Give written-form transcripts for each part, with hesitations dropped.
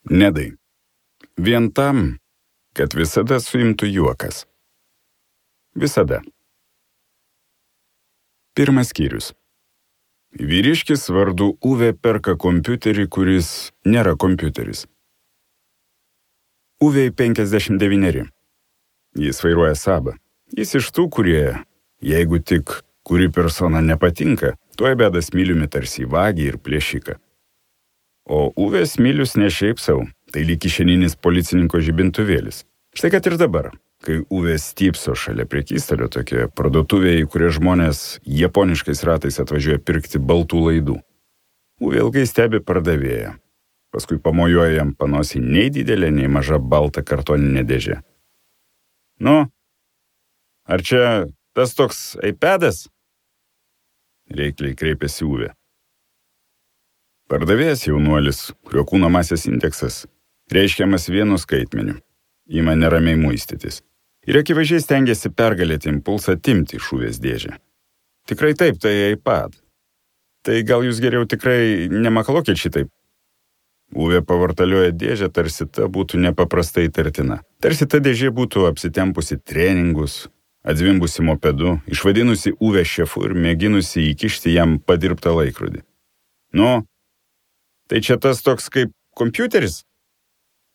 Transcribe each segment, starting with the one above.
Nedai. Vien tam, kad visada suimtų juokas. Visada. Pirmas skyrius. Vyriškis vardu Uve perka kompiuterį, kuris nėra kompiuteris. Uvei 59. Jis vairuoja Sabą. Jis iš tų, kurie, jeigu tik kuri persona nepatinka, tuoj beda smiliumi tarsi vagį ir plėšiką. O Uvės smilius ne šiaip sau, tai lyg kišeninis policininko žibintuvėlis. Štai kad ir dabar, kai Uvė stypso šalia prekystalio tokioje parduotuvėje, į kurią žmonės japoniškais ratais atvažiuoja pirkti baltų laidų. Uvė ilgai stebi pardavėją. Paskui pamojuoja jam panosį nei didelė, nei maža balta kartoninė dėžė. Nu, ar čia tas toks iPadas? Reikliai kreipėsi Uvė. Pardavėjas jaunuolis, kurio kūno masės indeksas, reiškiamas vienu skaitmeniu, ima neramiai muistytis. Ir akivaizdžiai stengiasi pergalėti impulsą atimti iš Uvės dėžę. Tikrai taip, tai iPad. Tai gal jūs geriau tikrai nemakalokit šitaip. Uvė pavartalioja dėžę, tarsi ta būtų nepaprastai įtartina. Tarsi ta dėžė būtų apsitempusi treningus, atzvimbusi mopedu, išvadinusi Uvę šefu ir mėginusi įkišti jam padirbtą laikrodį. Nu, tai čia tas toks kaip kompiuteris?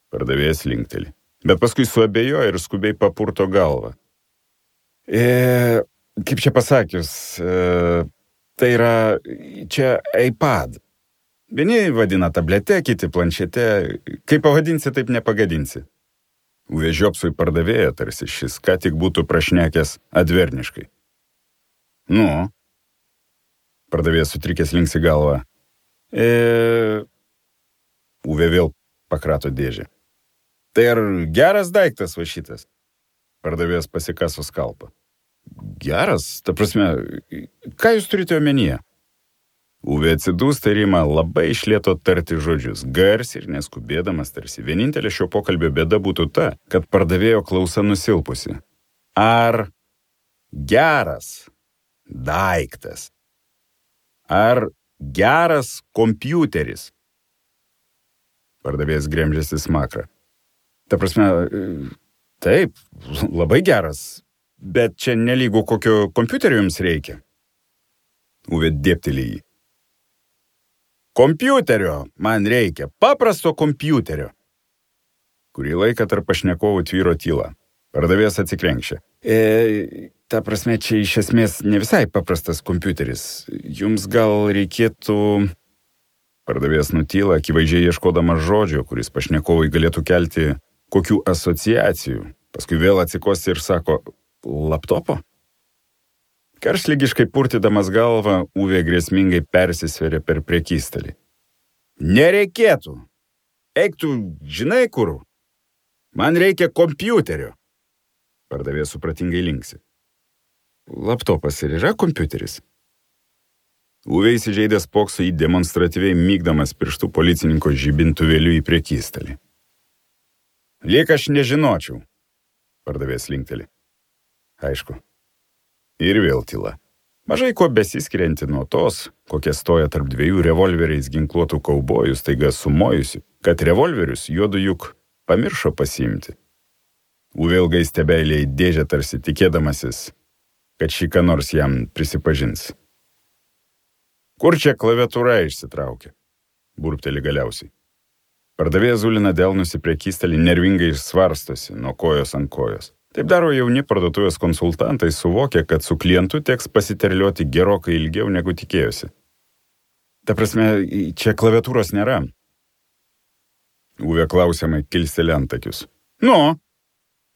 Pardavėjas linkteli, bet paskui suabejoja ir skubiai papurto galvą. Kaip čia pasakius, tai yra čia iPad. Vieni vadina tablete, kiti planšete. Kaip pavadinsi, taip nepagadinsi. Uvė žiopsui pardavėja, tarsi šis ką tik būtų prašnekęs adverniškai. Nu, pardavėjas sutrikęs linksi galvą. Uvė vėl pakrato dėžę. Tai ar geras daiktas va šitas? Pardavėjas pasikaso skalpą. Geras? Ta prasme, ką jūs turite omenyje? Uvė atsidūsta ir ima labai iš lėto tarti žodžius, garsiai ir neskubėdamas, tarsi vienintelė šio pokalbio bėda būtų ta, kad pardavėjo klausa nusilpusi. Ar geras daiktas? Ar geras kompiuteris? Pardavėjas gremžėsi smakrą. Ta prasme, taip, labai geras, bet čia nelygu kokio kompiuterio jums reikia. Uvė dėpteli jį. Kompiuterio man reikia, paprasto kompiuterio. Kurį laiką tarp pašnekovų tvyro tyla. Pardavėjas atsikrenkščia. Ta prasme, čia iš esmės ne visai paprastas kompiuteris. Jums gal reikėtų... Pardavėjas nutyla, akivaizdžiai ieškodamas žodžio, kuris pašnekovai galėtų kelti kokių asociacijų. Paskui vėl atsikosti ir sako, laptopo? Karštligiškai purtydamas galvą, Uvė grėsmingai persisveria per prekystalį. Nereikėtų. Eik tu, žinai kur? Man reikia kompiuterio. Pardavėjas supratingai linksi. Laptopas ir yra kompiuteris? Uvė įsižeidęs spokso į demonstratyviai mygdamas pirštų policininko žibintuvėliu į prekystalį. Liek aš nežinočiau. Pardavėjas linkteli. Aišku. Ir vėl tyla. Mažai ko besiskirianti nuo tos, kokia stoja tarp dviejų revolveriais ginkluotų kaubojų staiga sumojusi, kad revolverius juodu juk pamiršo pasiimti. Uvė ilgai stebeilė į dėžę tarsi tikėdamasis, kad šį ką nors jam prisipažins. Kur čia klaviatūra išsitraukia? Burpteli galiausiai. Pardavėjas zulina delnus į prekystalį, nervingai svarstosi nuo kojos ant kojos. Taip daro jauni parduotuvės konsultantai, suvokia, kad su klientu teks pasiterlioti gerokai ilgiau negu tikėjosi. Ta prasme, čia klaviatūros nėra. Uvė klausiamai kilsteli antakius. Nu,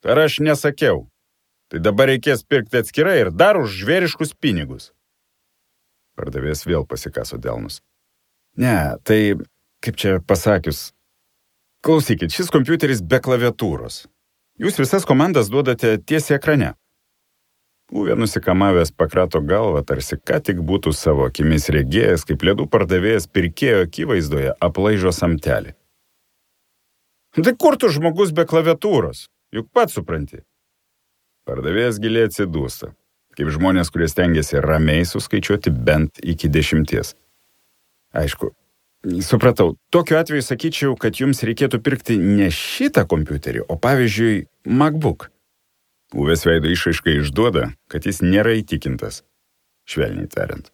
ar aš nesakiau? Tai dabar reikės pirkti atskirai ir dar už žvėriškus pinigus. Pardavėjas vėl pasikaso delnus. Ne, tai, kaip čia pasakius, klausykit, šis kompiuteris be klaviatūros. Jūs visas komandas duodate tiesiai ekrane. Uvė nusikamavęs pakrato galvą, tarsi ką tik būtų savo akimis regėjęs, kaip ledų pardavėjas pirkėjo akivaizdoje aplaižo samtelį. Tai kur tu žmogus be klaviatūros? Juk pats supranti. Pardavėjas giliai atsidūsta, kaip žmonės, kurie stengiasi ramiai suskaičiuoti bent iki 10. Aišku, Supratau. Tokiu atveju sakyčiau, kad jums reikėtų pirkti ne šitą kompiuterį, o pavyzdžiui, MacBook. Uvės veido išraiška išduoda, kad jis nėra įtikintas, švelniai tariant.